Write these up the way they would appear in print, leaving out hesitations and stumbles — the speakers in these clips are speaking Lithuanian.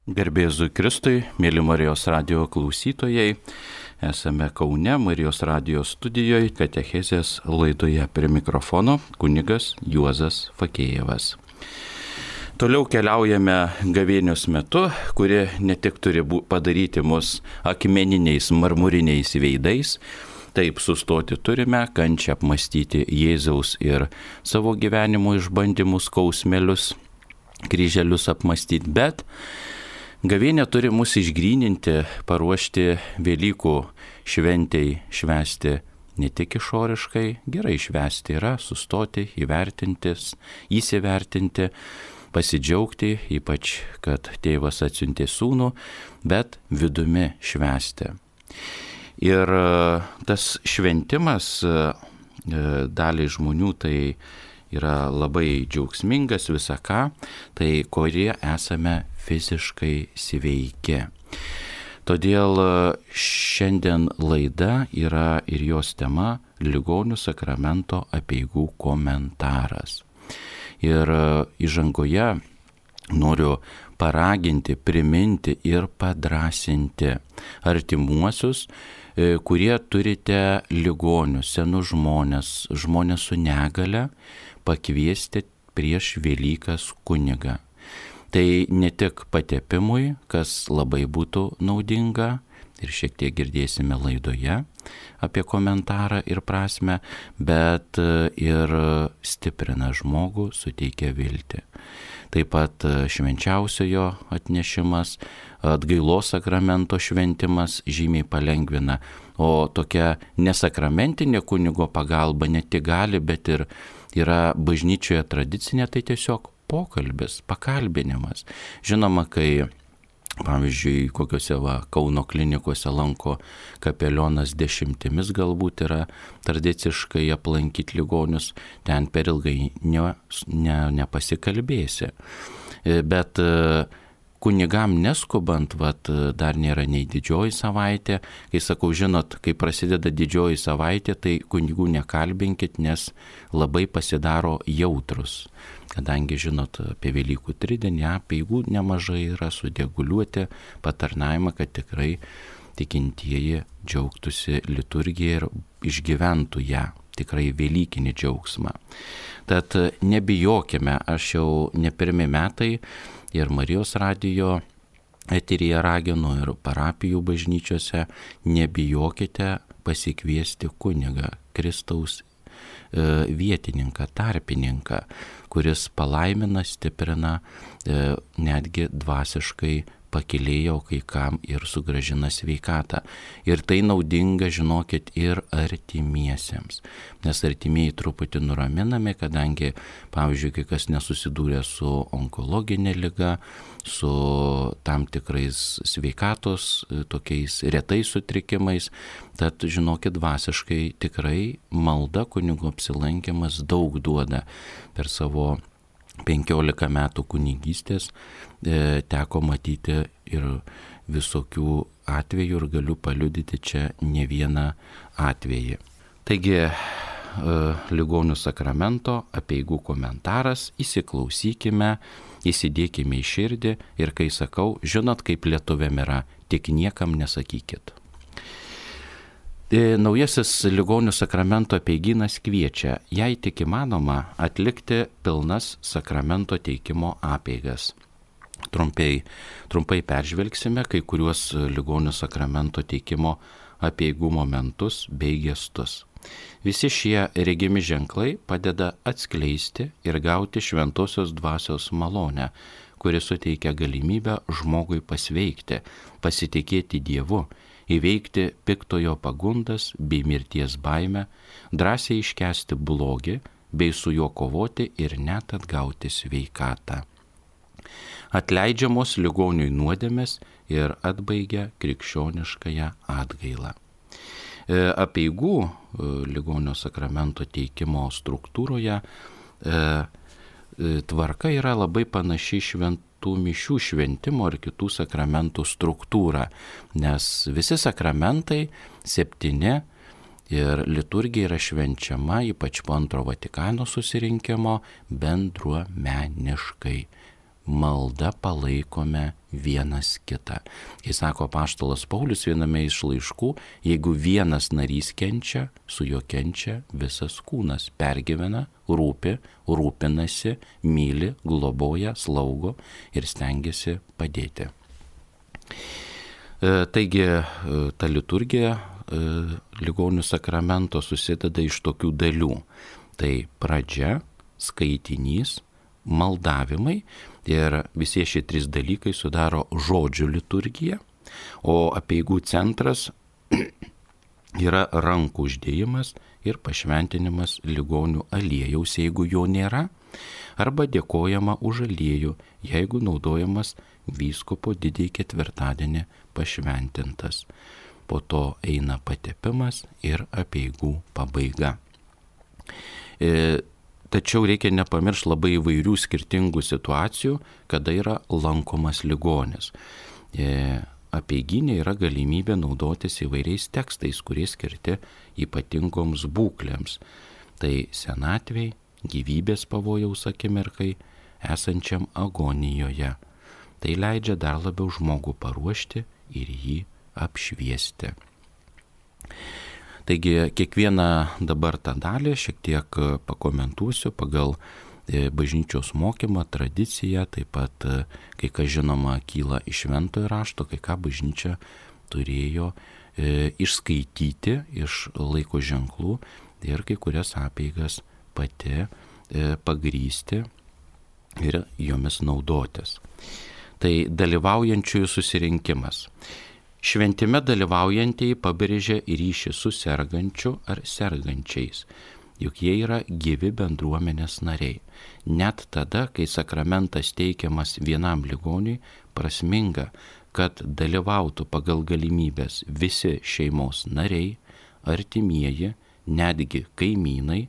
Garbė Jėzui Kristui, mėly Marijos radijo klausytojai, esame Kaune Marijos radijo studijoje katechezės laidoje, prie mikrofono kunigas Juozas Fakėjevas. Toliau keliaujame gavėnios metu, kuri ne tik turi padaryti mus akmeniniais, marmuriniais veidais, taip sustoti turime, kančią apmastyti Jėzaus ir savo gyvenimo išbandymus, skausmelius, kryželius apmastyti, bet gavėnė turi mus išgryninti, paruošti Velykų šventei, švęsti ne tik išoriškai, gerai švęsti yra, sustoti, įvertintis, įsivertinti, pasidžiaugti, ypač, kad tėvas atsiuntė sūnų, bet vidumi švęsti. Ir tas šventimas daliai žmonių tai yra labai džiaugsmingas visą ką, tai kurie esame fiziškai sveiki. Todėl šiandien laida yra ir jos tema Ligonių sakramento apeigų komentaras. Ir įžangoje noriu paraginti, priminti ir padrąsinti artimuosius, kurie turite ligonius, senus žmonės, žmonės su negale, pakviesti prieš Velykas kunigą. Tai ne tik patepimui, kas labai būtų naudinga, ir šiek tiek girdėsime laidoje apie komentarą ir prasme, bet ir stiprina žmogų, suteikia viltį. Taip pat švenčiausiojo atnešimas, atgailos sakramento šventimas žymiai palengvina, o tokia nesakramentinė kunigo pagalba ne tik gali, bet ir yra bažnyčioje tradicinė, tai tiesiog pokalbis, pakalbinimas. Žinoma, kai, pavyzdžiui, kokiuose Kauno klinikose lanko kapelionas dešimtimis, galbūt yra tradiciškai aplankyti ligonius, ten per ilgai nepasikalbėsi. Bet kunigam neskubant, dar nėra nei didžioji savaitė. Kai sakau, žinot, kai prasideda didžioji savaitė, tai kunigų nekalbinkit, nes labai pasidaro jautrus. Kadangi, žinot, apie Velykų tridienį, apeigų nemažai yra sudieguliuoti patarnavimą, kad tikrai tikintieji džiaugtųsi liturgiją ir išgyventų ją, tikrai velykinį džiaugsmą. Tad nebijokime, aš jau ne pirmi metai ir Marijos radijo eteryje raginu ir parapijų bažnyčiose, nebijokite pasikviesti kunigą, Kristaus vietininką, tarpininką, kuris palaimina, stiprina, netgi dvasiškai pakilėjo kai kam ir sugrąžina sveikatą. Ir tai naudinga, žinokit, ir artimiesiems. Nes artimieji truputį nuraminami, kadangi, pavyzdžiui, kai kas nesusidūrė su onkologinė liga, su tam tikrais sveikatos, tokiais retais sutrikimais, tad, žinokit, dvasiškai tikrai malda, kunigo apsilankimas daug duoda. Per savo 15 metų kunigystės teko matyti ir visokių atvejų ir galiu paliudyti čia ne vieną atvejį. Taigi, Ligonių sakramento apeigų komentaras, įsiklausykime, įsidėkime į širdį ir kai sakau, žinot, kaip lietuviam yra, tik niekam nesakykit. Naujasis Ligonių sakramento apeigynas kviečia, jei tik įmanoma, atlikti pilnas sakramento teikimo apeigas. Trumpai peržvelgsime kai kuriuos Ligonių sakramento teikimo apeigų momentus bei gestus. Visi šie regimi ženklai padeda atskleisti ir gauti šventosios dvasios malonę, kuri suteikia galimybę žmogui pasveikti, pasitikėti Dievu, įveikti piktojo pagundas bei mirties baimę, drąsiai iškęsti blogį bei su juo kovoti ir net atgauti sveikatą. Atleidžiamos ligoniui nuodėmės ir atbaigia krikščioniškąją atgailą. Apeigų Ligonio sakramento teikimo struktūroje tvarka yra labai panaši šventų mišių šventimo ir kitų sakramentų struktūrą, nes visi sakramentai 7 ir liturgija yra švenčiama, ypač po Antro Vatikano susirinkimo, bendruomeniškai. malda palaikome vienas kitą. Kai sako apaštalas Paulius viename iš laiškų, jeigu vienas narys kenčia, su juo kenčia visas kūnas, pergyvena, rūpi, rūpinasi, myli, globoja, slaugo ir stengiasi padėti. Taigi ta liturgija ligonių sakramento susideda iš tokių dalių. Tai pradžia, skaitinys, maldavimai ir visi šie 3 dalykai sudaro žodžių liturgiją, o apeigų centras yra rankų uždėjimas ir pašventinimas ligonių aliejaus, jeigu jo nėra, arba dėkojama už aliejų, jeigu naudojamas vyskupo didįjį ketvirtadienį pašventintas. Po to eina patepimas ir apeigų pabaiga. Tačiau reikia nepamiršti labai įvairių skirtingų situacijų, kada yra lankomas ligonis. Apeiginė yra galimybė naudotis įvairiais tekstais, kurie skirti ypatingoms būklėms. Tai senatvei, gyvybės pavojaus akimirkai, esančiam agonijoje. Tai leidžia dar labiau žmogų paruošti ir jį apšviesti. Taigi kiekvieną dabar tą dalį šiek tiek pakomentuosiu pagal bažnyčios mokymą, tradiciją, taip pat kai ką žinoma kyla iš šventojo rašto, kai ką bažnyčia turėjo išskaityti iš laiko ženklų ir kai kurias apeigas pati pagrįsti ir jomis naudotis. Tai dalyvaujančiųjų susirinkimas. Šventime dalyvaujantieji pabrėžia ryšį su sergančiu ar sergančiais, juk jie yra gyvi bendruomenės nariai. Net tada, kai sakramentas teikiamas vienam ligoniui, prasminga, kad dalyvautų pagal galimybės visi šeimos nariai, artimieji, netgi kaimynai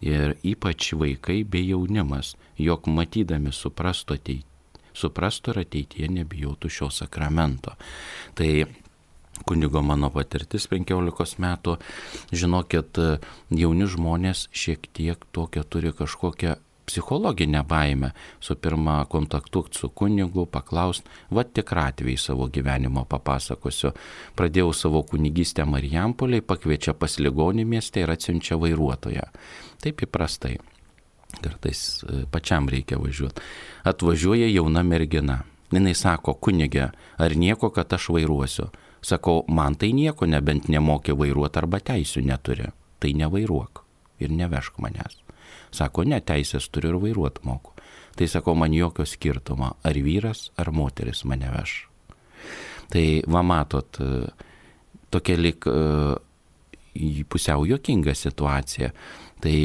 ir ypač vaikai bei jaunimas, jog matydami suprastų ir ateityje nebijotų šio sakramento. Tai kunigo mano patirtis 15 metų, žinokit, jauni žmonės šiek tiek tokią turi kažkokią psichologinę baimę. Su pirma kontaktuoti su kunigu, paklaust, tikrą atvejį savo gyvenimo papasakosiu. Pradėjau savo kunigystę Marijampolėj, pakviečia pas ligonį mieste ir atsiunčia vairuotoją. Taip įprastai. Kartais pačiam reikia važiuoti. Atvažiuoja jauna mergina. Jinai sako, kunige, ar nieko, kad aš vairuosiu? Sakau, man tai nieko, nebent nemokė vairuoti arba teisių neturi. Tai nevairuok ir nevežk manęs. Sako, ne, teisės turiu ir vairuoti moku. Tai sako, man jokio skirtumo, ar vyras, ar moteris mane veš. Tai va matot, tokia lyg pusiau juokinga situacija. Tai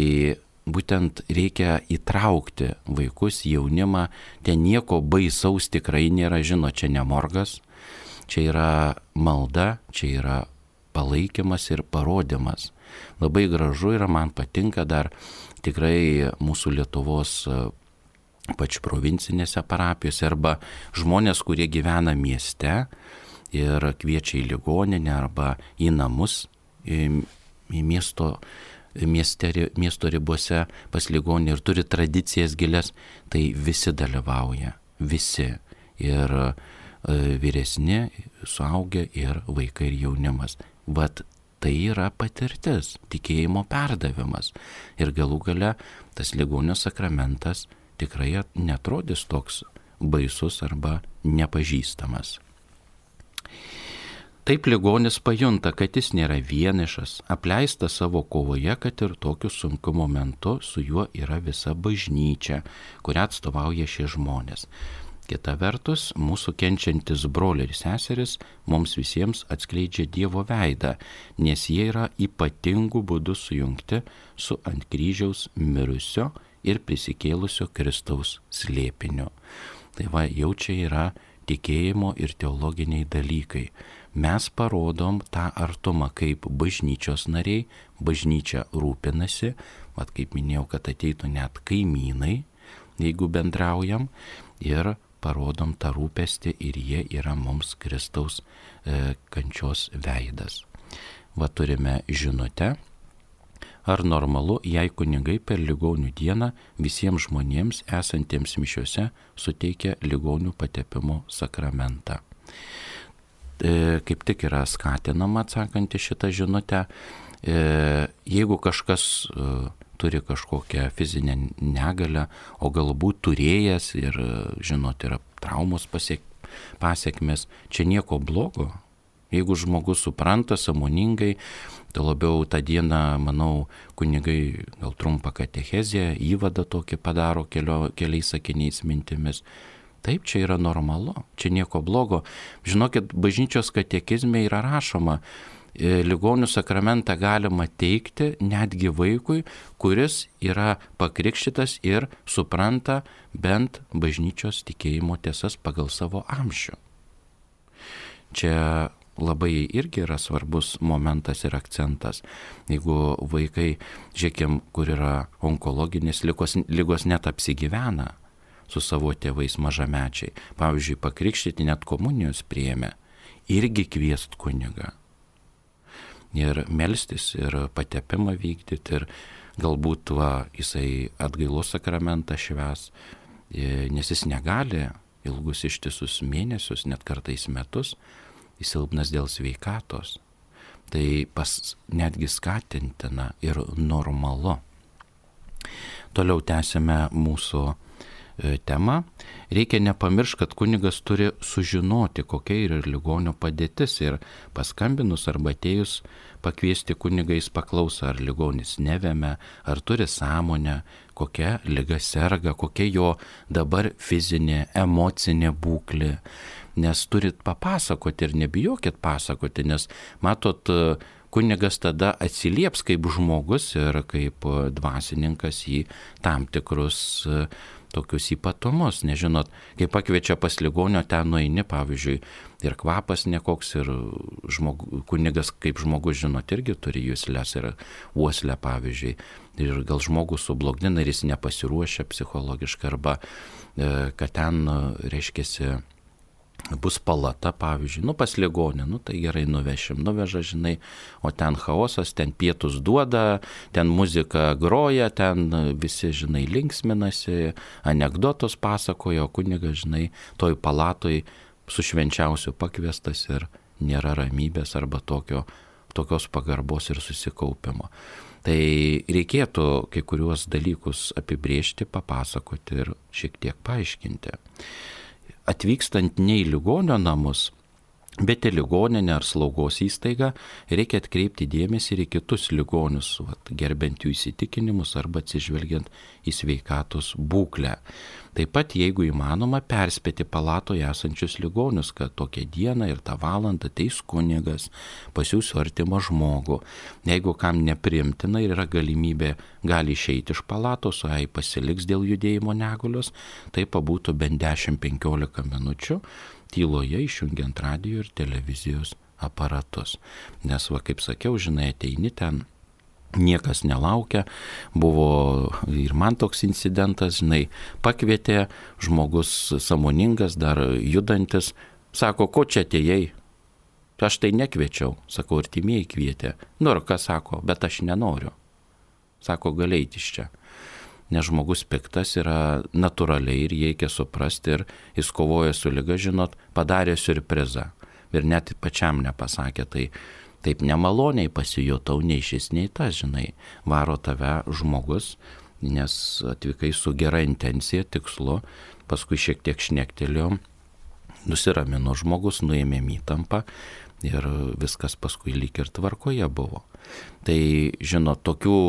būtent reikia įtraukti vaikus, jaunimą, ten nieko baisaus tikrai nėra, žinot, čia ne morgas, čia yra malda, čia yra palaikymas ir parodymas. Labai gražu yra, man patinka dar tikrai mūsų Lietuvos pač provincinėse parapijose arba žmonės, kurie gyvena mieste ir kviečia į ligoninę arba į namus, į miesto ribose pas ligonį ir turi tradicijas gilias, tai visi dalyvauja, visi. Ir vyresni, suaugę ir vaikai ir jaunimas. Vat tai yra patirtis, tikėjimo perdavimas. Ir galų gale tas ligonio sakramentas tikrai netrodys toks baisus arba nepažįstamas. Taip ligonis pajunta, kad jis nėra vienišas, apleistas savo kovoje, kad ir tokiu sunkiu momentu su juo yra visa bažnyčia, kurią atstovauja šie žmonės. Kita vertus, mūsų kenčiantis broliai ir seseris mums visiems atskleidžia Dievo veidą, nes jie yra ypatingų būdų sujungti su ant kryžiaus mirusio ir prisikėlusio Kristaus slėpiniu. Tai va, jau čia yra tikėjimo ir teologiniai dalykai. Mes parodom tą artumą kaip bažnyčios nariai, bažnyčia rūpinasi, vat kaip minėjau, kad ateitų net kaimynai, jeigu bendraujam, ir parodom tą rūpestį ir jie yra mums Kristaus kančios veidas. Va turime žinutę, ar normalu, jei kunigai per ligonių dieną visiems žmonėms esantiems mišiuose suteikia ligonių patepimo sakramentą. Kaip tik yra skatinama atsakant į šitą žinutę, jeigu kažkas turi kažkokią fizinę negalią, o galbūt turėjęs ir, žinot, yra traumos pasiekmes, čia nieko blogo. Jeigu žmogus supranta sąmoningai, tai labiau tą dieną, manau, kunigai gal trumpą katechezę, įvadą tokį padaro keliais sakiniais mintimis. Taip, čia yra normalu, čia nieko blogo. Žinokit, bažnyčios katekizme yra rašoma, ligonių sakramentą galima teikti netgi vaikui, kuris yra pakrikštytas ir supranta bent bažnyčios tikėjimo tiesas pagal savo amžių. Čia labai irgi yra svarbus momentas ir akcentas. Jeigu vaikai, žiūrėkim, kur yra onkologinės ligos net apsigyvena su savo tėvais mažamečiai, pavyzdžiui, pakrikštyti net komunijos priėmė, irgi kviest kunigą. Ir melstis, ir patepimą vykdyti, ir galbūt jisai atgailos sakramentą švęs, nes jis negali ilgus ištisus mėnesius, net kartais metus, jis silpnas dėl sveikatos. Tai netgi skatintina ir normalu. Toliau tęsime mūsų temą. Reikia nepamiršti, kad kunigas turi sužinoti, kokia yra ligonio padėtis, ir paskambinus arba atėjus pakviesti kunigą, jis paklauso, ar ligonis nevemia, ar turi sąmonę, kokia liga serga, kokia jo dabar fizinė, emocinė būklė. Nes turit papasakoti ir nebijokit pasakoti, nes matot, kunigas tada atsilieps kaip žmogus ir kaip dvasininkas į tam tikrus tokius ypatumus. Nežinot, kai pakviečia pas ligonio, ten nueini, pavyzdžiui, ir kvapas nekoks, ir kunigas kaip žmogus, žinot, irgi turi juslės ir uoslę, pavyzdžiui. Ir gal žmogus sublogdina ir jis nepasiruošia psichologiškai, arba kad ten, reiškiasi, bus palata, pavyzdžiui, pas ligonį, tai gerai nuveža, žinai, o ten chaosas, ten pietus duoda, ten muzika groja, ten visi, žinai, linksminasi, anekdotus pasakoja, o kunigas, žinai, toj palatoj su švenčiausiu pakviestas ir nėra ramybės arba tokios pagarbos ir susikaupimo. Tai reikėtų kai kuriuos dalykus apibrėžti, papasakoti ir šiek tiek paaiškinti. Atvykstant ne į ligonio namus, bet į ligoninę ar slaugos įstaigą, reikia atkreipti dėmesį ir į kitus ligonius, gerbent jų įsitikinimus arba atsižvelgiant į sveikatos būklę. Taip pat, jeigu įmanoma, perspėti palatoje esančius ligonius, kad tokią dieną ir tą valandą ateis kunigas, pasiųs artimą žmogų. Jeigu kam nepriimtina ir yra galimybė, gali išeiti iš palatos, o jei pasiliks dėl judėjimo negalios, tai pabūtų bent 10-15 minučių tyloje, išjungiant radijo ir televizijos aparatus. Nes, kaip sakiau, žinai, ateini ten, niekas nelaukia, buvo ir man toks incidentas, žinai, pakvietė, žmogus sąmoningas, dar judantis, sako, ko čia atėjai? Aš tai nekviečiau, sakau, artimieji kvietė. Ir ką sako, bet aš nenoriu. Sako, gali eiti iš čia. Nes žmogus piktas yra natūraliai ir reikia suprasti, ir jis kovoja su liga, žinot, padarė siurprizą. Ir net pačiam nepasakė, tai taip nemaloniai pasijutau, nei šis, nei tas, žinai, varo tave žmogus, nes atvykai su gera intencija, tikslu, paskui šiek tiek šnektelėjo, nusiramino žmogus, nuėmė įtampą ir viskas paskui lyg ir tvarkoje buvo. Tai, žinot, tokių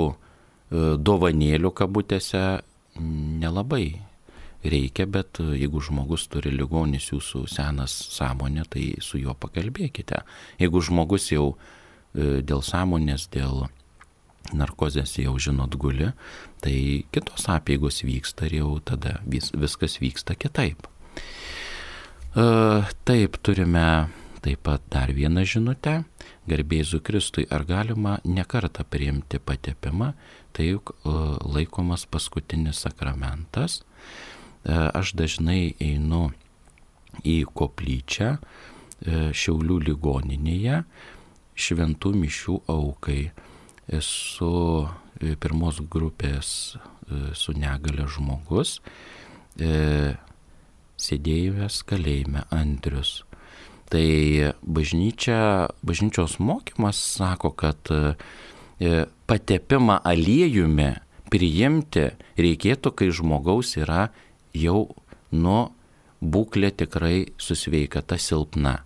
dovanėlių kabutėse nelabai reikia, bet jeigu žmogus turi ligonis, jūsų senas sąmonė, tai su juo pakalbėkite. Jeigu žmogus jau dėl sąmonės, dėl narkozės jau, žinot, guli, tai kitos apeigos vyksta ir jau tada viskas vyksta kitaip. Taip, turime taip pat dar vieną žinutę. Garbė Jėzui Kristui, ar galima nekartą priimti patepimą, tai juk laikomas paskutinis sakramentas. Aš dažnai einu į koplyčią Šiaulių ligoninėje šventų mišių aukai. esu pirmos grupės su negale žmogus, sėdėjęs kalėjime Andrius. Tai bažnyčios mokymas sako, kad patepimą aliejumi priimti reikėtų, kai žmogaus yra jau būklė tikrai su sveikata silpna.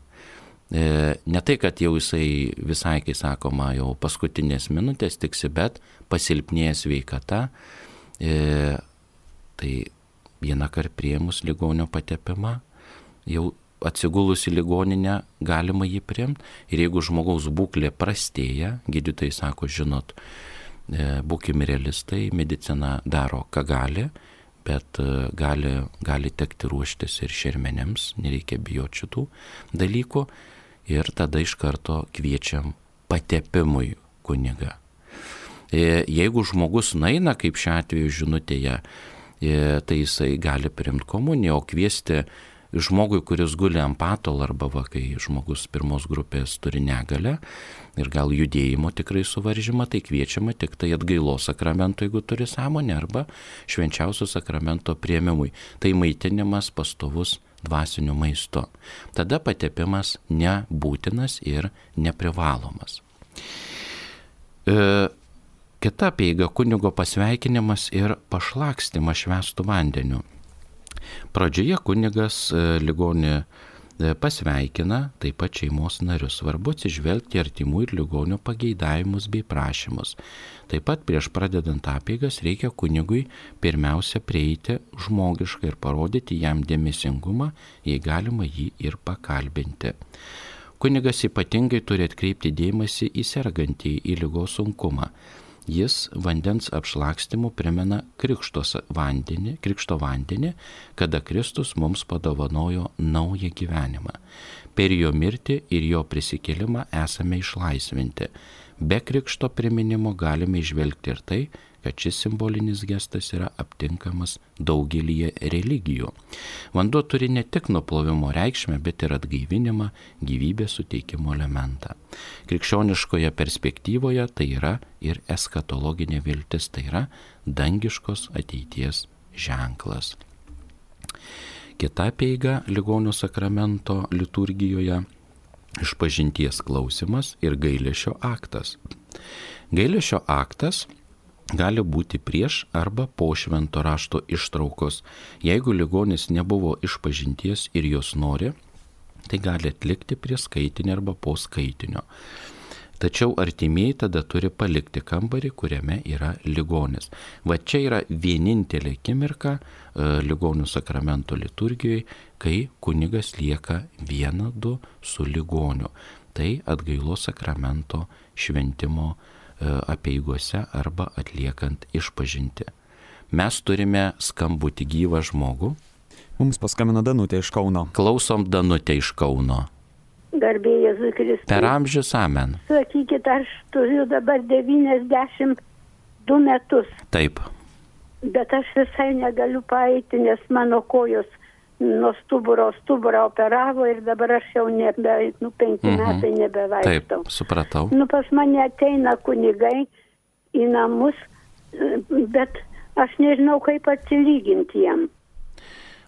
Ne tai, kad jau jisai visai, kai sakoma, jau paskutinės minutės tiksi, bet pasilpnėja sveikata. Tai vieną kartą priėmus ligonio patepimą, jau atsigulus į ligoninę galima jį priimti. Ir jeigu žmogaus būklė prastėja, gydytojai sako, žinot, būkime realistai, medicina daro, ką gali, bet gali tekti ruoštis ir šermenėms, nereikia bijoti šitų dalykų. Ir tada iš karto kviečiam patepimui kunigą. Jeigu žmogus naina, kaip šiuo atveju žinutėje, tai jisai gali priimti komuniją, o kviesti žmogui, kuris guli ant patalo, arba kai žmogus pirmos grupės turi negalę ir gal judėjimo tikrai suvaržymą, tai kviečiama tik tai atgailos sakramento, jeigu turi sąmonę, arba švenčiausio sakramento priėmimui. Tai maitinimas pastovus dvasiniu maistu. Tada patepimas nebūtinas ir neprivalomas. Kita apeiga kunigo pasveikinimas ir pašlakstymas švęstu vandeniu. Pradžioje kunigas ligonį pasveikina, taip pat šeimos narius. Svarbu atsižvelgti artimų ir ligonio pageidavimus bei prašymus. Taip pat prieš pradedant apeigas reikia kunigui pirmiausia prieiti žmogiškai ir parodyti jam dėmesingumą, jei galima jį ir pakalbinti. Kunigas ypatingai turi atkreipti dėmesį į sergantį, į ligos sunkumą. Jis vandens apšlakstymu primena krikšto vandenį, kada Kristus mums padovanojo naują gyvenimą. Per jo mirtį ir jo prisikėlimą esame išlaisvinti. Be krikšto priminimo galime įžvelgti ir tai, kad šis simbolinis gestas yra aptinkamas daugelyje religijų. Vanduo turi ne tik nuplovimo reikšmę, bet ir atgaivinimą, gyvybės suteikimo elementą. Krikščioniškoje perspektyvoje tai yra ir eskatologinė viltis, tai yra dangiškos ateities ženklas. Kita apeiga ligonio sakramento liturgijoje - išpažinties klausimas ir gailesčio aktas. Gailesčio aktas gali būti prieš arba po švento rašto ištraukos. Jeigu ligonis nebuvo išpažinties ir jos nori, tai gali atlikti prie skaitinio arba po skaitinio. Tačiau artimieji tada turi palikti kambarį, kuriame yra ligonis. Va čia yra vienintelė akimirka ligonių sakramento liturgijoje, kai kunigas lieka 1-2 su ligoniu. Tai atgailos sakramento šventimo apeigose arba atliekant išpažintį. Mes turime skambutį gyvą žmogų. Mums paskambino Danutė iš Kauno. Klausom Danutė iš Kauno. Garbė Jėzui Kristui. Per amžius amen. Sakykit, aš turiu dabar 92 metus. Taip. Bet aš visai negaliu paeiti, nes mano kojos nuo stuburą operavo ir dabar aš jau 5 metai nebevaikštau. Taip, supratau. Pas mane ateina kunigai į namus, bet aš nežinau, kaip atsilyginti jam.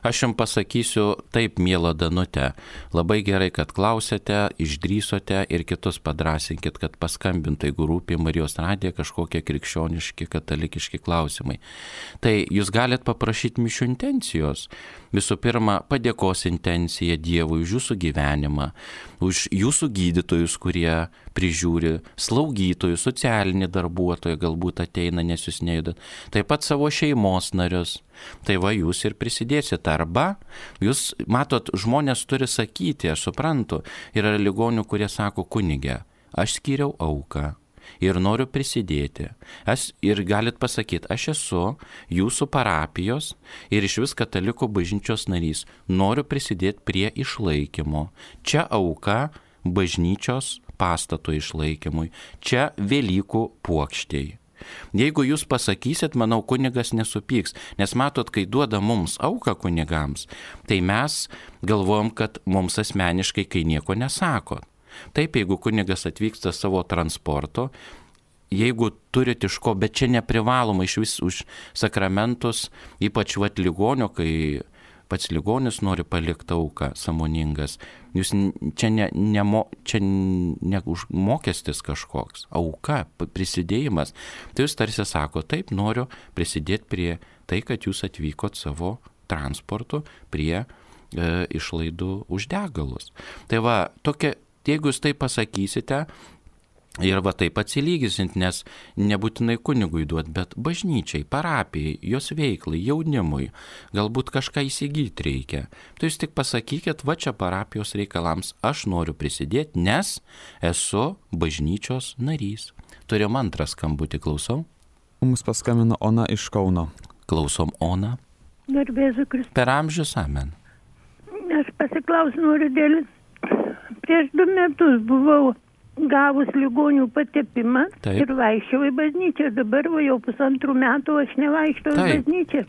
Aš jums pasakysiu taip, miela Danutė, labai gerai, kad klausėte, išdrįsote ir kitus padrasinkit, kad paskambintų, jeigu rūpi Marijos radiją kažkokie krikščioniški, katalikiški klausimai. Tai jūs galit paprašyti mišių intencijos. Visų pirma, padėkos intencija Dievui už jūsų gyvenimą, už jūsų gydytojus, kurie prižiūri, slaugytojus, socialinį darbuotoją galbūt ateina, nes jūs nejudat. Taip pat savo šeimos narius. Tai va jūs ir prisidėsit. Arba jūs, matot, žmonės turi sakyti, aš suprantu, yra ligonių, kurie sako, kunige, aš skyriau auką ir noriu prisidėti. Ir galit pasakyti, aš esu jūsų parapijos ir iš vis katalikų bažnyčios narys, noriu prisidėti prie išlaikymo. Čia auka bažnyčios pastato išlaikymui, čia Velykų puokštei. Jeigu jūs pasakysit, manau, kunigas nesupyks, nes matot, kai duoda mums auką kunigams, tai mes galvojam, kad mums asmeniškai kai nieko nesako. Taip, jeigu kunigas atvyksta savo transporto, jeigu turit iš ko, bet čia neprivaloma iš vis už sakramentus, ypač ligonio, kai pats ligonis nori palikti auką sąmoningas. Jūs čia ne mokestis kažkoks, auka, prisidėjimas. Tai jūs tarsi sako, taip, noriu prisidėti prie tai, kad jūs atvykot savo transportu prie išlaidų už degalus. Tai va, jeigu jūs tai pasakysite, ir va taip atsilygysint, nes nebūtinai kunigui duot, bet bažnyčiai, parapijai, jos veiklai, jaunimui, galbūt kažką įsigyti reikia. Tai jūs tik pasakykit, va čia parapijos reikalams aš noriu prisidėti, nes esu bažnyčios narys. Turim antrą skambutį, klausau. Mums paskambino Ona iš Kauno. Klausom, Ona. Garbėsiu Kristus. Per amžius, amen. Aš pasiklausiu noriu dėl. Prieš 2 metus buvau gavus ligonių patepimą. Taip. Ir vaikščiau į bažnyčią. Dabar jau 1,5 metų aš nevaikštau į bažnyčią.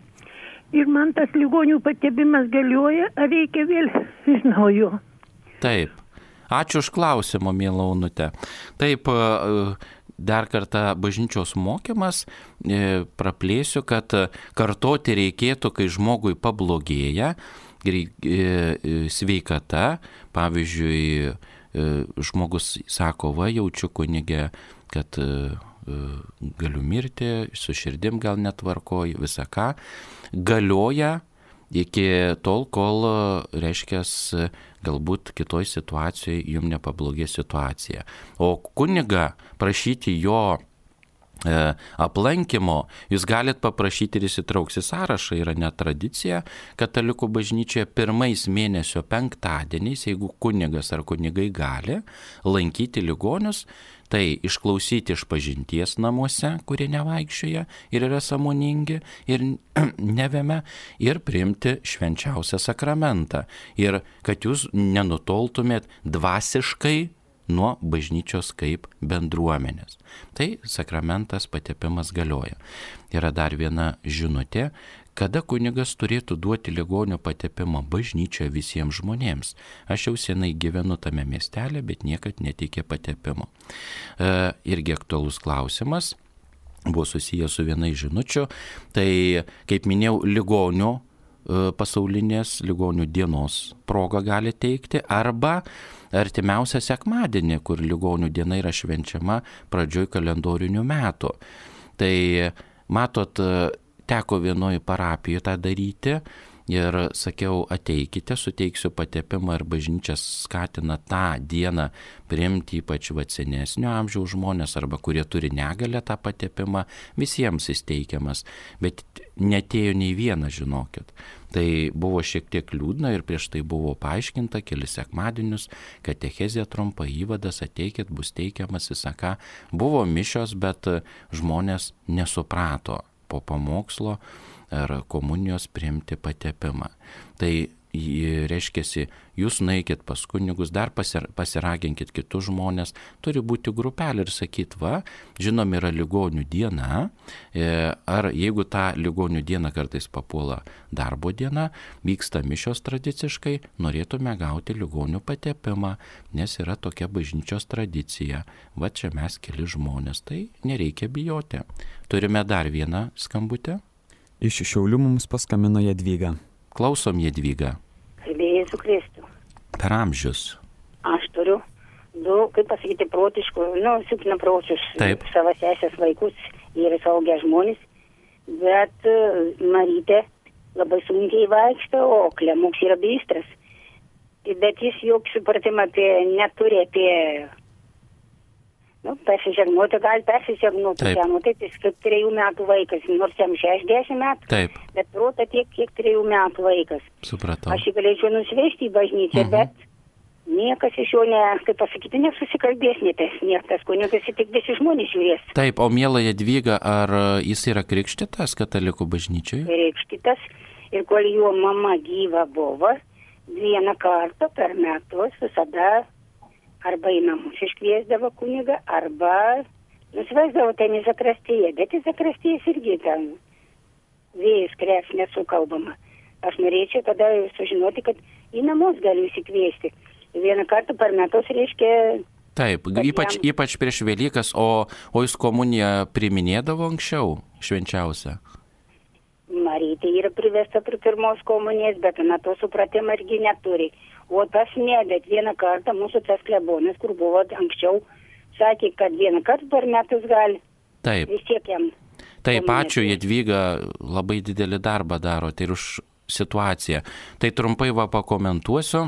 Ir man tas ligonių patepimas galioja, ar reikia vėl iš naujo? Taip. Ačiū už klausimą, miela Onutė. Taip, dar kartą bažnyčios mokymas, praplėsiu, kad kartoti reikėtų, kai žmogui pablogėja sveikata, pavyzdžiui, žmogus sako, va, jaučiu kunige, kad galiu mirti, su širdim gal netvarkoju, visą ką, galioja iki tol, kol, reiškia, galbūt kitoj situacijoje jums nepablogė situacija. O kunigą prašyti jo aplankymo, jūs galit paprašyti ir įsitrauks į sąrašą, yra net tradicija katalikų bažnyčioje pirmais mėnesio penktadieniais, jeigu kunigas ar kunigai gali lankyti ligonius, tai išklausyti išpažinties namuose, kurie nevaikščioja ir yra sąmoningi ir nevėme, ir priimti švenčiausią sakramentą. Ir kad jūs nenutoltumėt dvasiškai nuo bažnyčios kaip bendruomenės. Tai sakramentas patepimas galioja. Yra dar viena žinutė, kada kunigas turėtų duoti ligonio patepimą bažnyčioje visiems žmonėms. Aš jau senai gyvenu tame miestelė, bet niekad netikė patepimo. Irgi aktualus klausimas, buvo susijęs su viena iš žinučių. Tai, kaip minėjau, ligonių pasaulinės ligonių dienos progą gali teikti, arba artimiausią sekmadienį, kur ligonių diena yra švenčiama pradžioj kalendorinių metų. Tai, matot, teko vienoje parapijoje tą daryti ir sakiau, ateikite, suteiksiu patepimą, ir bažnyčia skatina tą dieną priimti ypač senesnio amžiaus žmonės arba kurie turi negalią tą patepimą, visiems įsteikiamas, bet netėjo nei vienas, žinokit. Tai buvo šiek tiek liūdna ir prieš tai buvo paaiškinta kelis sekmadienius, katechezė trumpa, įvadas, ateikit, bus teikiamas, visaka. Buvo mišios, bet žmonės nesuprato po pamokslo ar komunijos priimti patepimą. Tai reiškiasi, jūs nueikit pas kunigus, dar pasiraginkit kitus žmonės, turi būti grupelė ir sakyt, va, žinom, yra ligonių diena, ar jeigu tą ligonių dieną kartais papuola darbo diena, vyksta mišios tradiciškai, norėtume gauti ligonių patepimą, nes yra tokia bažnyčios tradicija. Va, čia mes keli žmonės, tai nereikia bijoti. Turime dar vieną skambutę. Iš Šiaulių mums paskambino Jadvyga. Klausom, Jadvyga. Jėzų Kristų. Per amžius. Aš turiu 2, kaip pasakyti, protiškų, silpnapročius savo sesės vaikus, jie yra suaugę žmonės, bet Marytė labai sunkiai vaikšto, o Klemuks yra bystras. Bet jis jokį supratimą neturi apie persižegnuoti, gali persižegnuoti. Taip, jis kaip 3 metų vaikas, nors jam 60 metų, taip, bet prota tiek, kiek 3 metų vaikas. Supratau. Aš jį galėčiau nusivežti į bažnyčią, bet niekas iš jo, kaip pasakyti, nesusikalbės, niekas kunigas, tik visi žmonės žiūrės. Taip, o miela Jadvyga, ar jis yra krikštytas katalikų bažnyčiai? Krikštytas, ir kol jo mama gyva buvo, 1 kartą per metus visada arba į namus iškviesdavo kunigą, arba nusivesdavo ten į zakristiją, bet į zakristijas irgi ten vėjas krės nesukalbama. Aš norėčiau tada sužinoti, kad į namus galiu įsikviesti. 1 kartą per metus reiškia Taip, ypač prieš Velykas, o jūs komuniją priminėdavo anksčiau, švenčiausią? Marytė yra privesta prie pirmos komunijos, bet na to supratimo irgi neturi. O tas ne, bet vieną kartą mūsų tas klebonas, kur buvo anksčiau, sakė, kad vieną kartą per metus gali. Taip. Vis tiek jam. Taip, ačiū, Jadvyga, labai didelį darbą darote ir už situaciją. Tai trumpai pakomentuosiu.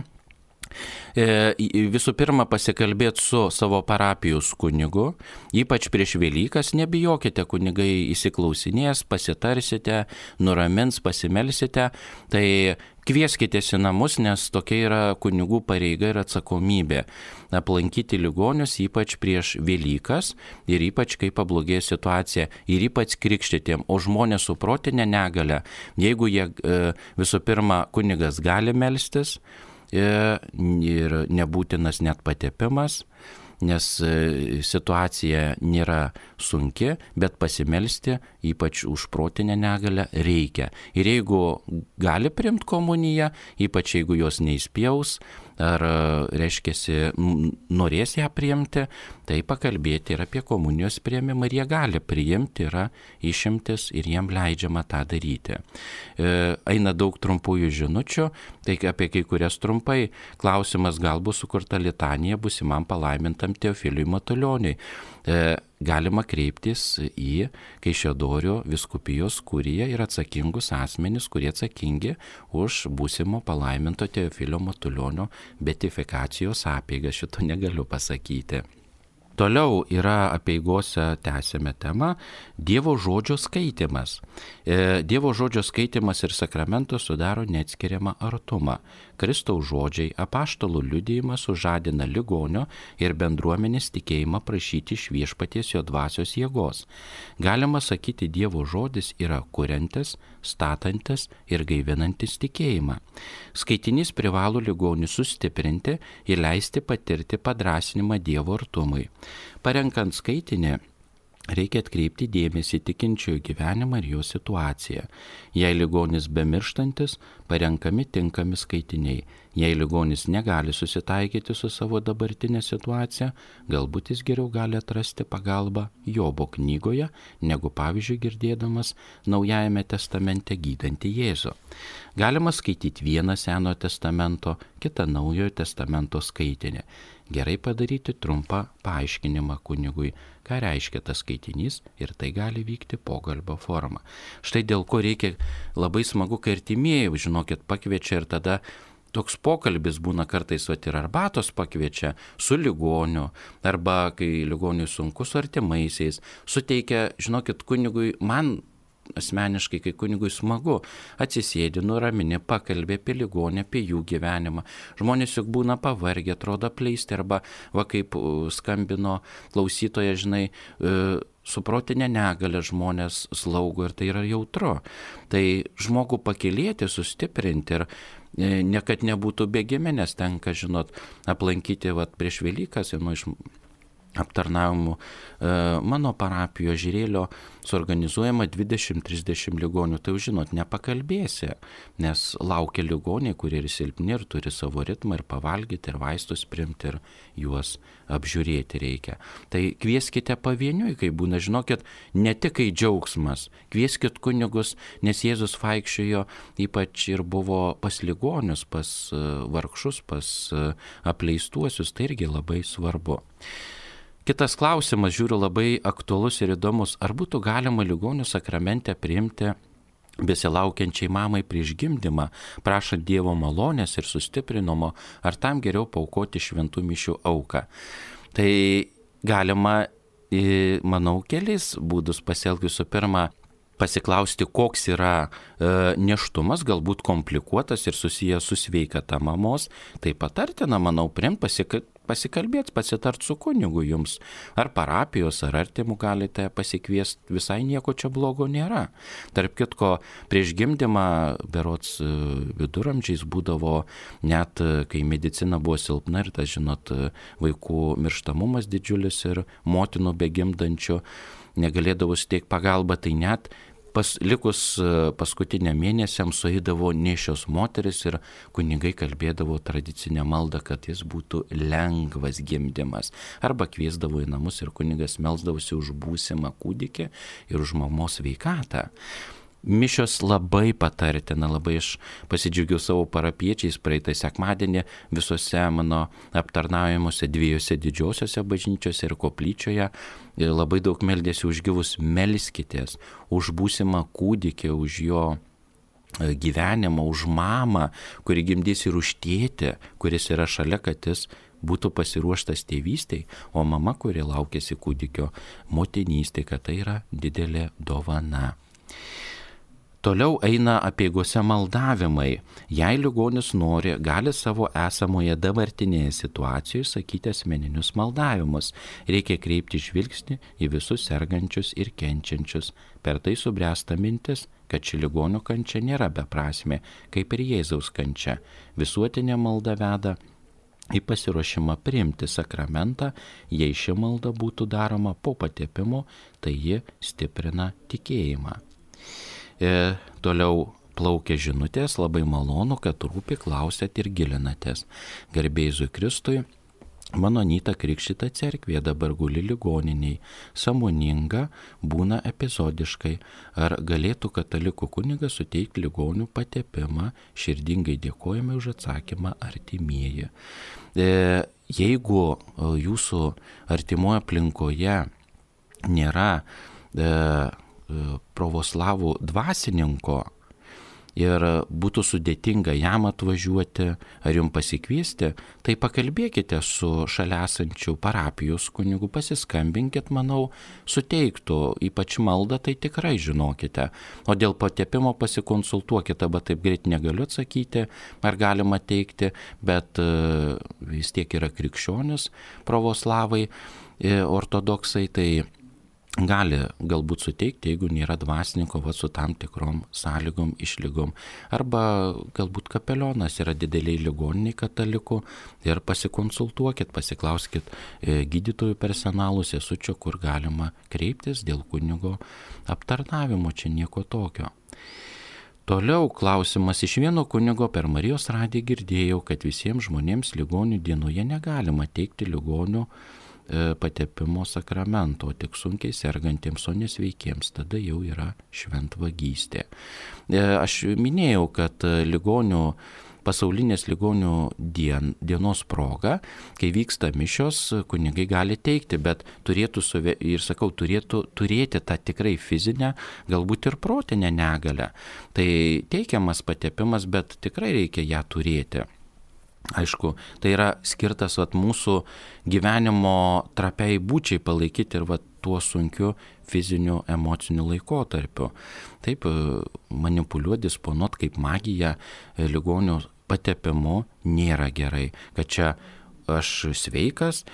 Visų pirma, pasikalbėti su savo parapijos kunigu, ypač prieš Velykas, nebijokite, kunigai įsiklausinės, pasitarsite, nuramins, pasimelsite, tai kvieskitės į namus, nes tokia yra kunigų pareiga ir atsakomybė aplankyti ligonius, ypač prieš Velykas ir ypač kai pablogėja situacija ir ypač krikštytiem, o žmonės su protinė negalia, jeigu jie visų pirma kunigas gali melstis, ir nebūtinas net patepimas, nes situacija nėra sunki, bet pasimelsti, ypač už protinę negalę, reikia. Ir jeigu gali priimti komuniją, ypač jeigu jos neįspjaus, ar reiškiasi norės ją priimti, tai pakalbėti ir apie komunijos priėmimą, ir jie gali priimti, yra išimtis ir jiem leidžiama tą daryti. Eina daug trumpųjų žinučių, tai apie kai kurias trumpai. Klausimas, gal bus sukurta litanija būsimam palaimintam Teofiliui Matulioniui. Galima kreiptis į Kaišiadorių vyskupijos kuriją ir atsakingus asmenis, kurie atsakingi už būsimo palaiminto Teofilio Matulionio beatifikacijos apeigas. Šito negaliu pasakyti. Toliau yra apeigose tęsėme temą Dievo žodžio skaitimas. Dievo žodžio skaitimas ir sakramentas sudaro neatskiriamą artumą. Kristaus žodžiai, apaštalų liudijimas sužadina ligonio ir bendruomenės tikėjimą prašyti iš Viešpaties jo dvasios jėgos. Galima sakyti, Dievo žodis yra kuriantis, statantis ir gaivinantis tikėjimą. Skaitinys privalo ligonį sustiprinti ir leisti patirti padrąsinimą Dievo artumui. Parenkant skaitinį, reikia atkreipti dėmesį tikinčiojo gyvenimą ir jo situaciją. Jei ligonis bemirštantis, parenkami tinkami skaitiniai. Jei ligonis negali susitaikyti su savo dabartinė situacija, galbūt jis geriau gali atrasti pagalbą Jobo knygoje, negu pavyzdžiui girdėdamas Naujajame testamente gydantį Jėzų. Galima skaityti vieną Senojo testamento, kitą Naujojo testamento skaitinį. Gerai padaryti trumpą paaiškinimą kunigui, ką reiškia tas skaitinys, ir tai gali vykti pokalbio forma. Štai dėl ko reikia labai smagu, kai artimieji, žinokit, pakviečia ir tada toks pokalbis būna kartais, ir arbatos pakviečia su ligoniu, arba kai ligoniui sunku su artimaisiais, suteikia, žinokit, kunigui, man asmeniškai, kai kunigui smagu, atsisėdi, nuramini, pakalbė apie ligonę, apie jų gyvenimą. Žmonės juk būna pavargę, atrodo apleisti, arba va kaip skambino klausytoja, žinai, su protinė negalia žmonės slaugo ir tai yra jautru. Tai žmogų pakylėti, sustiprinti ir ne kad nebūtų bėgime, nes tenka, žinot, aplankyti prieš Velykas, iš aptarnavimų mano parapijoje Žirėlio suorganizuojama 20-30 ligonių. Tai žinot, nepakalbėsi, nes laukia ligoniai, kurie ir silpni, ir turi savo ritmą, ir pavalgyti, ir vaistus priimti, ir juos apžiūrėti reikia. Tai kvieskite pavieniui, kai būna, žinokit, ne tik kai džiaugsmas, kvieskit kunigus, nes Jėzus vaikščiojo ypač ir buvo pas ligonius, pas vargšus, pas apleistuosius, tai irgi labai svarbu. Kitas klausimas, žiūriu, labai aktualus ir įdomus. Ar būtų galima ligonių sakramente priimti besilaukiančiai mamai prieš gimdymą, prašant Dievo malonės ir sustiprinimo, ar tam geriau paaukoti šventų mišių auką? Tai galima, manau, keliais būdus pasielgti. Visų pirma, pasiklausti, koks yra nėštumas, galbūt komplikuotas ir susijęs su sveikata mamos. Tai patartina, manau, pasikalbėti, pasitart su kunigu jums, ar parapijos, ar artimų galite pasikviesti, visai nieko čia blogo nėra. Tarp kitko, prieš gimdymą, berods viduramžiais būdavo, net kai medicina buvo silpna ir tas, žinot, vaikų mirštamumas didžiulis ir motinų begimdančių negalėdavo suteikti pagalbą, tai net likus paskutiniam mėnesiam sueidavo nėščios moteris ir kunigai kalbėdavo tradicinę maldą, kad jis būtų lengvas gimdymas. Arba kviesdavo į namus ir kunigas melsdavosi už būsimą kūdikį ir už mamos sveikatą. Mišios labai patartina, labai aš pasidžiaugiau savo parapiečiais praeitą sekmadienį visose mano aptarnaujamuose 2 didžiosiose bažnyčiose ir koplyčioje. Ir labai daug meldėsi už gyvus, melskitės už būsimą kūdikį, už jo gyvenimą, už mamą, kuri gimdys ir už tėtį, kuris yra šalia, kad jis būtų pasiruoštas tėvystei, o mama, kuri laukėsi kūdikio motinystė, kad tai yra didelė dovana. Toliau eina apeigose maldavimai. Jei ligonis nori, gali savo esamoje dabartinėje situacijoje sakyti asmeninius maldavimus. Reikia kreipti žvilgsnį į visus sergančius ir kenčiančius. Per tai subręsta mintis, kad ši ligonio kančia nėra beprasmė, kaip ir Jėzaus kančia. Visuotinė malda veda į pasiruošimą priimti sakramentą. Jei ši malda būtų daroma po patepimo, tai ji stiprina tikėjimą. Toliau plaukia žinutės, labai malonu, kad rūpi, klausėt ir gilinatės. Garbė Jėzui Kristui, mano Anyta krikštyta cerkvėje dabar guli ligoniniai, sąmoninga, būna epizodiškai. Ar galėtų katalikų kunigas suteikti ligonių patepimą? Širdingai dėkojame už atsakymą, artimieji. Jeigu jūsų artimoje aplinkoje nėra pravoslavų dvasininko ir būtų sudėtinga jam atvažiuoti ar jums pasikviesti, tai pakalbėkite su šalia esančiu parapijos kunigu, pasiskambinkit, manau, suteiktų, ypač maldą, tai tikrai žinokite. O dėl patepimo pasikonsultuokite, bet taip greit negaliu atsakyti, ar galima teikti, bet vis tiek yra krikščionis pravoslavai, ortodoksai, tai gali galbūt suteikti, jeigu nėra dvasininko, su tam tikrom sąlygom, išlygom. Arba galbūt kapelionas yra dideliai ligoniniai katalikų ir pasikonsultuokit, pasiklauskit gydytojų personalų, sesučio, kur galima kreiptis dėl kunigo aptarnavimo, čia nieko tokio. Toliau klausimas iš vieno kunigo per Marijos radiją girdėjau, kad visiems žmonėms ligonių dienoje negalima teikti ligonių patepimo sakramento, tik sunkiai sergantiems, o nesveikiems, tada jau yra šventvagystė. Aš minėjau, kad pasaulinės ligonių dienos proga, kai vyksta mišios, kunigai gali teikti, bet turėtų turėti tą tikrai fizinę, galbūt ir protinę negalią. Tai teikiamas patepimas, bet tikrai reikia ją turėti. Aišku, tai yra skirtas mūsų gyvenimo trapiai būčiai palaikyti ir tuo sunkiu fiziniu, emociniu laikotarpiu. Taip, manipuliuoti, disponuoti kaip magija ligonių patepimu nėra gerai. Kad čia aš sveikas,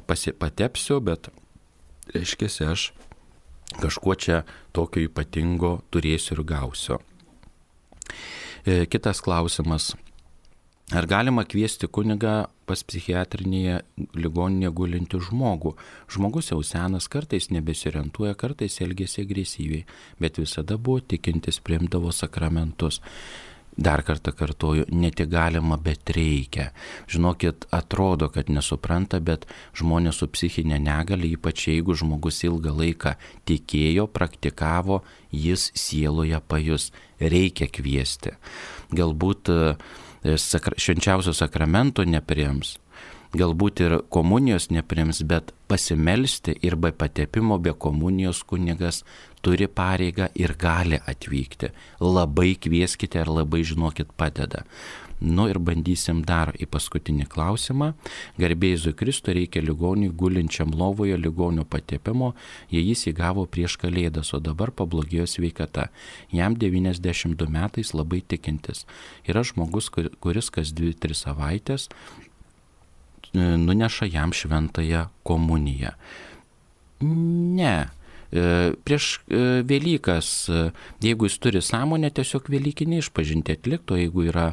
patepsiu, bet reiškia, aš kažkuo čia tokio ypatingo turėsiu ir gausiu. Kitas klausimas. Ar galima kviesti kunigą pas psichiatrinėje ligoninėje gulinti žmogų? Žmogus jau senas, kartais nebesiorientuoja, kartais elgiasi agresyviai, bet visada buvo tikintis, priimdavo sakramentus. Dar kartą kartoju, ne tik galima, bet reikia. Žinokit, atrodo, kad nesupranta, bet žmonės su psichinė negalia, ypač jeigu žmogus ilgą laiką tikėjo, praktikavo, jis sieloje pajus. Reikia kviesti. Galbūt švenčiausio sakramento nepriims, galbūt ir komunijos nepriims, bet pasimelsti ir be patepimo, be komunijos kunigas turi pareigą ir gali atvykti. Labai kvieskite ir labai žinokit padeda. Ir bandysim dar į paskutinį klausimą. Garbė Jėzui Kristui, reikia ligoniui gulinčiam lovoje ligonio patepimo, jei jis įgavo prieš Kalėdas, o dabar pablogėjo sveikata. Jam 92 metais, labai tikintis. Yra žmogus, kuris kas 2-3 savaitės nuneša jam šventąją komuniją. Ne. Prieš Velykas, jeigu jis turi sąmonę, tiesiog velykinį išpažintį atlikti, o jeigu yra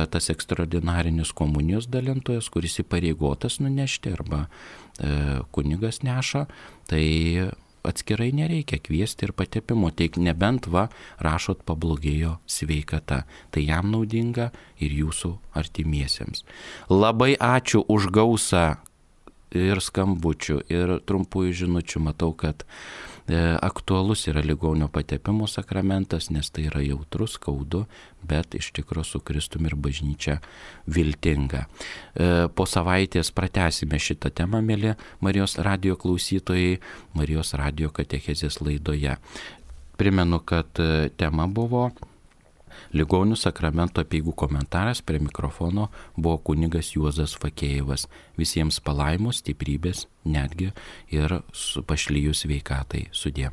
tas ekstraordinarinis komunijos dalintojas, kuris įpareigotas nunešti arba kunigas neša, tai atskirai nereikia kviesti ir patepimo, tik nebent rašot pablogėjo sveikata. Tai jam naudinga ir jūsų artimiesiems. Labai ačiū už gausą ir skambučių, ir trumpųjų žinučių. Matau, kad aktualus yra ligonio patepimo sakramentas, nes tai yra jautrus, skaudu, bet iš tikrųjų su Kristumi ir bažnyčia viltinga. Po savaitės pratęsime šitą temą, mėly Marijos radijo klausytojai, Marijos radijo katechezės laidoje. Primenu, kad tema buvo Ligonių sakramento apeigų komentaras, prie mikrofono buvo kunigas Juozas Fakėjevas. Visiems palaimos, stiprybės, netgi ir pašlijus sveikatai. Sudie.